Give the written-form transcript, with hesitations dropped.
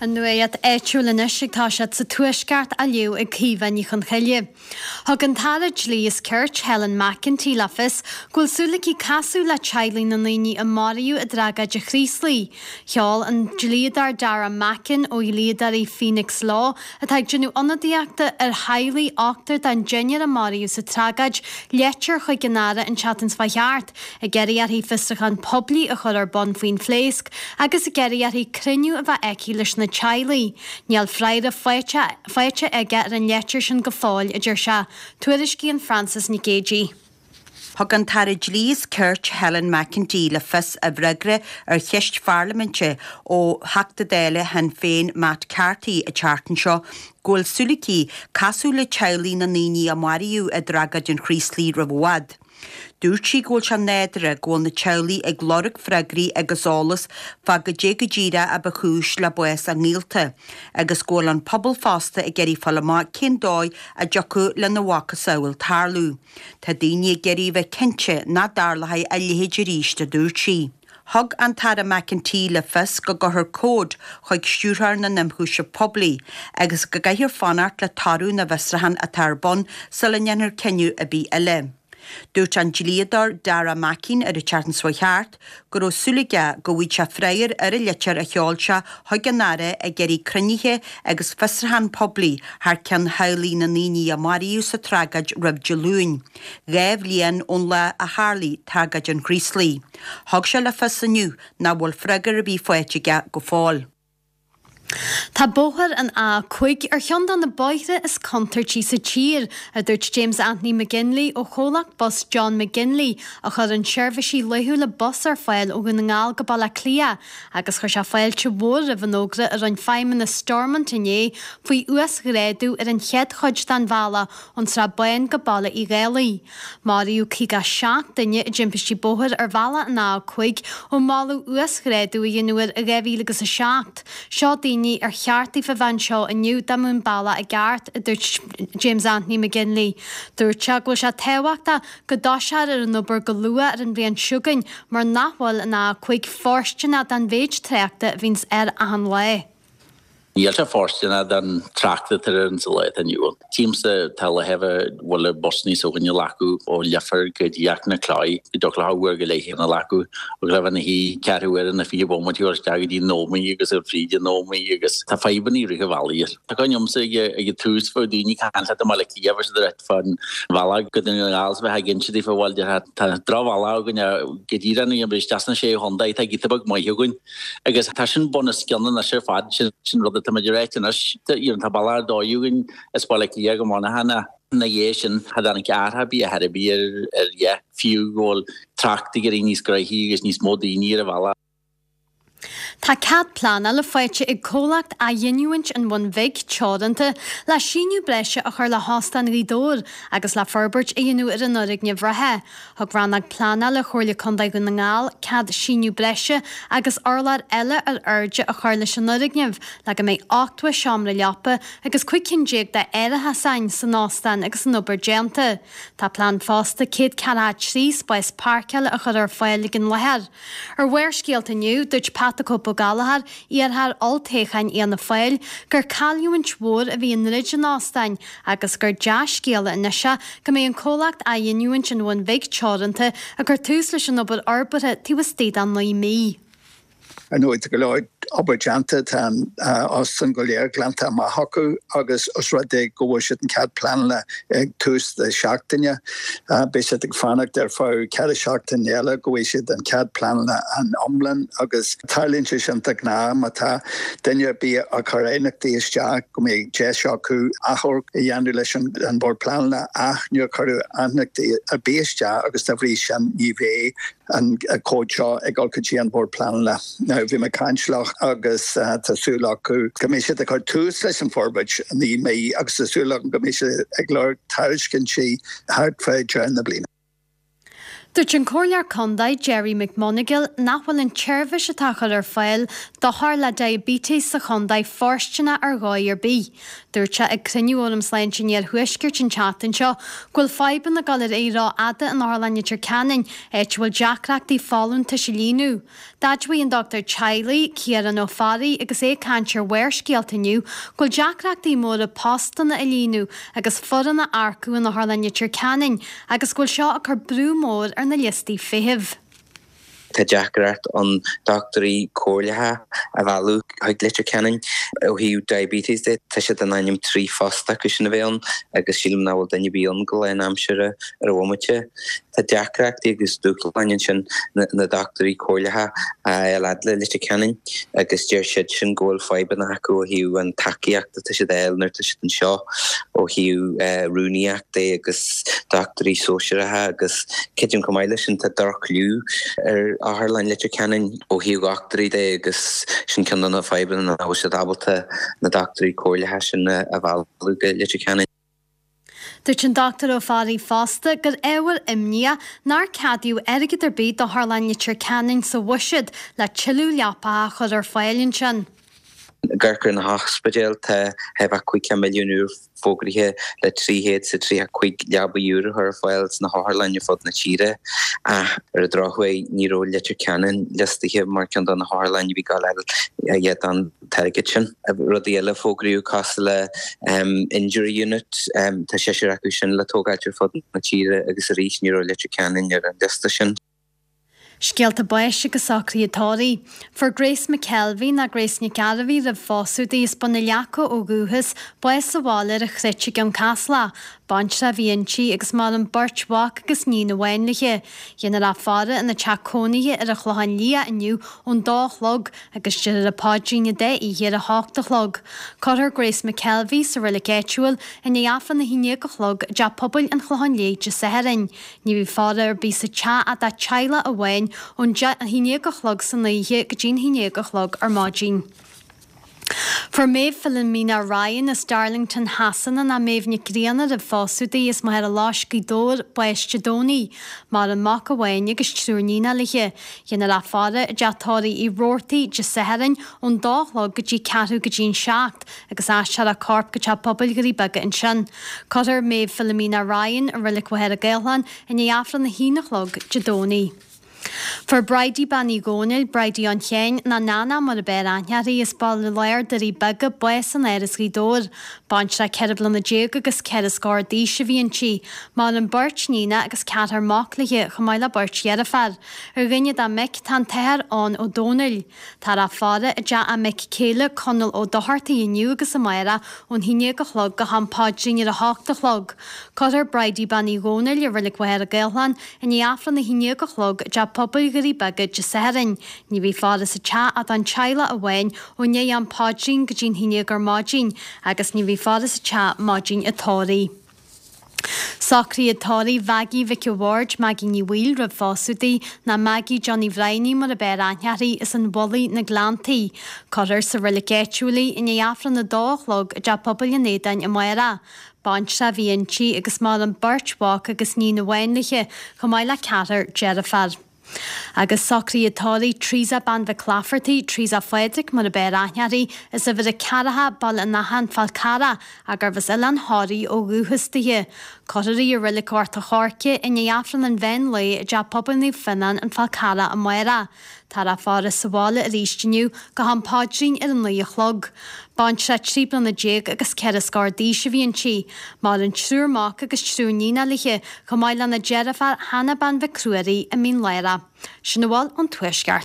An nuacht áitiúil anois ag toiseacht sa Tuaisceart á léamh ag Caoimhe Ní Chonchoille. Thug an tAire Dlí is Cirt, Helen McEntee le fios go bhfuil súil aici casadh le teaghlaigh na ndaoine a maraíodh i dtragóid an Chraoslaigh. Sheol an dlíodóir Dara Mackin ó dhlíodóirí Phoenix Law, atá ag déanamh ionadaíochta ar theaghlaigh ochtar den deichniúr a maraíodh sa tragóid, leitir chuig an Aire an tseachtain seo chuaigh thart, ag iarraidh uirthi fiosrúchán poiblí a chur ar bun faoin phléasc agus ag iarraidh uirthi cruinniú a bheith aici leis na teaghlaigh. Níl freagra faighte aige ar an leitir sin go fóill, a deir sé. Tuairiscíonn Frances Nic Géadaigh. Thug an tAire Dlí is Cirt Helen McEntee le fios i bhfreagra ar cheist pharlaiminte ó Theachta Dála Shinn Féin Matt Carthy an tseachtain seo go bhfuil súil aici casadh le teaghlaigh na ndaoine a maraíodh i dtragóid an Chraoslaigh roimh i bhfad. Dúirt sí go bhfuil sé nádúrtha go bhfuil na teaghlaigh ag lorg freagraí agus eolas fá goidé go díreach a ba chúis le bás a ngaolta agus go bhfuil an pobal fosta ag iarraidh fáil amach cén dóigh a dtiocfadh lena mhacasamhail tarlú. Tá daoine ag iarraidh a bheith cinnte nach dtarlóidh a leithéid arís, a dúirt sí. Thug an tAire McEntee le fios go gcuirfear comhad chuig Stiúrthóir na nIonchúiseamh Poiblí agus go gcaithfear fanacht le toradh na bhfiosrúchán atá ar bun sula ndéanfar cinneadh ar bith eile. Dúirt an dlíodóir Dara Mackin ar an tseachtain seo chuaigh thart go raibh súil aige go bhfaigheadh sé freagra ar an litir a sheol sé chuig an Aire ag iarraidh cruinnithe agus fiosrúchán poiblí thar ceann theaghlaigh na ndaoine a maraíodh sa tragóid roimh Dé Luain, 2 bhliain ón lá a tharlaigh tragóid an Chraoslaigh. Thug sé le fios inniu nach bhfuil freagra ar bith faighte aige go fóill. Tá bóthar an A5 ar cheann de na bóithre is contúirtí sa tír, a dúirt James Anthony McGinley ó chomhlacht bus John McGinley, a chuireann seirbhísí laethúla bus ar fáil ó Dhún na nGall go Baile Átha Cliath, agus chuir sé fáilte mhór roimh an fhógra a rinne feidhmeannas Stormont inné faoi uasghrádú ar an chéad chuid den bhealach ón Srath Bán go Baile Uí Dhálaigh. Maraíodh 57 duine i dtimpistí bóthair ar bhealach an A5 ó moladh uasghrádú a dhéanamh air i 2007. Seo daoine ar cheart daofa bheith anseo inniu dá mbeadh an bealach i gceart, a dúirt James Anthony McGinley. Dúirt sé go bhfuil sé tábhachtach go dtosófar ar an obair go luath ar an bhliain seo chugainn mar nach bhfuil an A5 fóirsteanach don mhéid tráchta a bhíonns air achan lá. Níl sé fóirsteanach don trácht atá air sa lá atá inniu ann. Tchímse tá a leithéid bhfuil busannaí s'againne a ghlacadh ó Leifear go dtí Achnacloich go dtiocfadh leo uair go leith a ghlacadh agus le bheith ina shuí ceathrú uaire nó 20 bomaite a dhul isteach go dtí an Ómaigh agus a fríd an Ómaigh agus tá fadhbanna i rith an bhealaigh air. Tá cuimhne agamsa ag an tús bheadh daoine ag caint leat i mBaile Átha Cliath bheadh siad ag ráit fán bhealach go Dún na nGall is bheifeá ag inse daofa bhuel déarfá tá drochbhealach againn go díreach nuair a isteach sna sé chontae tá giota beag maith againn. Agus tá sin bunoscionn anois ar fad, sin an rud atá muid ag ráit anois, you know, tá bealach ar dóigh againn as Baile Átha Cliath go Monaghan ach ina dhiaidh sin cha dtáinig athrú ar bith ar bith ar ar dhath, fiú go bhfuil trácht ag éirí níos gnoithí agus níos mó daoine ar an bhealach. Tá cead pleanála faighte ag comhlacht Athghiniúint an Bhun Bhig Teoranta le síneadh breise a chur le hÓstán Ghaoth Dobhair agus le forbairt a dhéanamh ar an fhoirgneamh reatha. Thug Rannóg Pleanála Chomhairle Contae Dhún na nGall cead síneadh breise agus urlár eile ar airde a chur leis an fhoirgneamh le go mbeidh 80 seomra leapa agus 15 cinn d'árasán san óstán agus an obair déanta. Tá plean fosta 143 spás páirceála a chur ar fáil ag an láthair. Ar Bharrscéalta inniu, dúirt Pat 'the Cope' Ó Gallchóir, iarrthóir olltoghcháin Fhianna Fáil, gur cailliúint mhór a bhí i ndruid an óstáin agus gur dea-scéala anois é go mbeidh an comhlacht Athghiniúint an Bhun Bhig Teoranta ag cur tús leis an obair fhorbartha taobh istigh de 9 mí. Ar ndóigh, tá go leor obair déanta, tá an óstán go léir glanta amach acu agus os rud é go bhfuair siad an cead pleanála ag tús na seachtaine, beidh siad ag fanacht ar feadh 4 seachtain eile go bhfaighidh siad an cead pleanála an iomlán agus tarlaíonn sé sin de ghnáth má tá duine ar bith ag cur aighneachtaí isteach go mbeidh deis acu achomharc a dhéanamh leis an Bhord Pleanála ach níor cuireadh aighneachtaí ar bith isteach agus dá bhrí sin ní bheidh an comhad seo ag dul go dtí an Bord Pleanála. Now bhí mé ag caint leo agus tá súil acu go mbeidh siad ag cur tús leis an forbairt i 9 mí agus tá súil agam go mbeidh siad ag lorg tairiscintí thart fá deireadh na bliana. Dúirt an Comhairleoir Condae Gerry McMonagail nach bhfuil an tseirbhís atá á chur ar fáil d'othair le diabetes sa chondae fóirsteanach ar dhóigh ar bith. Dúirt sé ag cruinniú Fhóram Sláinte an Iarthuaiscirt an tseachtain seo go bhfuil fadhbanna ag dul ar aghaidh rófhada in Otharlann Leitir Ceanainn, áit a bhfuil deacrachtaí folúntais a líonadh. D'admhaigh an dochtúir teaghlaigh, Ciarán Ó Fearraigh, agus é ag caint ar Bharrscéalta inniu, go bhfuil deacrachtaí móra postanna a líonadh agus foireann a earcú in Otharlann Leitir Ceanainn agus go bhfuil seo ag cur brú mór ar na liostaí feithimh. Tá deacracht ann dochtúirí comhairleacha a mhealladh chuig Leitir Ceanainn. Ó thaobh diabetes de, tá siad in ainm 3 phost acu sin a bheith ann agus sílim nach bhfuil duine ar bith ann go lánaimseartha ar an bhomaite. Tá deacrachtaí agus dúshláin ansin na dochtúirí comhairleacha a fháil fhad le Leitir Ceanainn agus deir siad sin go bhfuil fadhbanna acu ó thaobh an tacaíocht atá siad a fháil nuair atá siad anseo ó thaobh rúnaíocht de agus dochtúirí sóisearacha agus creidim chomh maith leis sin tá droch-chliú ar Otharlann Leitir Ceanainn ó thaobh dhochtúirí de agus sin ceann de na fadhbanna nach bhfuil siad ábalta na dochtúirí comhairleacha sin a mhealladh go Leitir Ceanainn. Dúirt an Dr Ó Fearraigh fosta gur ábhar imní nár ceadaíodh airgead ar bith d'Otharlann Leitir Ceanainn sa bhuiséad le tuilleadh leapacha a chur ar fáil ansin. Ag amharc ar na hospidéil, tá chóir a bheith 50 milliún úr fógraithe le 335 leabaidh úr a chur ar fáil sna hotharlanna ar fud na tíre. Ach ar an drochuair ní raibh Leitir Ceanainn liostaithe mar ceann de na hotharlanna a bhí ag gabháil a fháil don t-airgead sin. Rudaí eile a fógraíodh cosúil le injury unit, tá seisear acu sin le tógáilt ar fud na tíre agus arís ní raibh Leitir Ceanainn ar an liosta sin. Scéalta báis agus socruithe tórraimh. Fuair Grace McKelvey, ná Grace Nic Gairbhí roimh phósadh di, as Bun na Leaca ó dhúchas, bás sa bhaile ar an Chruit i gCionn Caslach. Baintreach a bhí inti agus maireann beirt mhac agus níon amháin léi. Déanfar í a fhaire ina teach cónaithe ar an Chlochán Liath inniu ón dó a chlog agus déarfar an paidrín an dá oíche ar a hocht a chlog. Cuirfear Grace McKelvey sa reilig áitiúil i ndiaidh Aifreann a haon déag a chlog i dTeach Pobail an Chlocháin Léith Dé Sathairn. Ní bheidh faire ar bith sa teach ach dá teaghlach amháin ón haon déag a chlog san oíche go dtí'n haon déag a chlog ar maidin. Fuair Méabh Philomena Ryan as Darlington Shasana ná Méabh Nic Grianna roimh phósadh di as Machaire Loisc Gaoth Dobhair, bás Dé Domhnaigh. Maireann mac amháin agus triúr níonacha léi. Déanfar í a fhaire i dteach tórraimh Uí Robhartaigh Dé Sathairn ón dó a chlog go dtí ceathrú go dtí an seacht agus aistreofar a corp go Teach Pobail Dhoirí Beaga ansin. Cuirfear Méabh Philomena Ryan i Reilig Mhachaire Gathlán i ndiaidh Aifreann a haon a chlog Dé Domhnaigh. Fuair Bridie Bean Uí Dhónaill, Bridie an Chéin, ná Nana mar ab fhearr aithne uirthi, as Baile Láir, Doirí Beaga, bás in Áras Ghaoth Dobhair. Baintreach 14 bliana agus ceithre scór d'aois a bhí inti. Maireann beirt níonacha agus ceathrar mac léi, chomh maith le beirt dheirféar. Ar dhuine dá mic tá an tAthair Eoin Ó Dónaill. Táthar á faire i dteach a mic céile Conall Ó Dochartaigh inniu agus amárach ón haon déag a chlog go ham paidrín ar a hocht a chlog. Cuirfear Bridie Bean Uí Dhónaill i Reilig Mhachaire Gathlán i ndiaidh Aifreann a haon déag a chlog i dTeach Pobail Dhoirí Beaga Dé Sathairn. Ní bheidh faire sa teach ach don teaghlach amháin ó ndiaidh am paidrín go dtí'n haon déag ar maidin agus ní bheidh faire sa teach maidin an tórraimh. Socruithe tórraimh Mhaggie Mhic a' Bhaird, Maggie Ní Bhaoill roimh phósadh di, ná Maggie Johnny Bhrianaí mar ab fhearr aithne uirthi, as an Mhullaigh, na Gleanntaí. Cuirfear sa reilig áitiúil í i ndiaidh Aifreann a dó a chlog i dTeach Pobail an Aodáin amárach. Baintreach a bhí inti agus maireann beirt mhac agus níon amháin léi, chomh maith le ceathrar deirféar. Agus socruithe tórraimh Teresa Bean Mhic Laifeartaigh, Teresa Phádraig mar ab fhearr aithne uirthi, as uimhir a ceathracha, Baile an Átha, An Fál Carrach, ach gurbh as Oileán Thoraí ó dhúchas dithe. Cuirfear í i Reilig Ghort a' Choirce i ndiaidh Aifreann an mheán lae i dTeach Pobail Naomh Fionnán, An Fál Carrach amárach. Táthar á faire sa bhaile arís inniu go ham paidrín ar a naoi a chlog. Baintreach 13 bliana agus ceithre scór d'aois a bhí inti. Maireann triúr mac agus triúr níonacha léi, chomh maith lena deirfiúr Hannah Bean Mhic Ruairí i Mín Lárach. Sin a bhfuil ón Tuaisceart.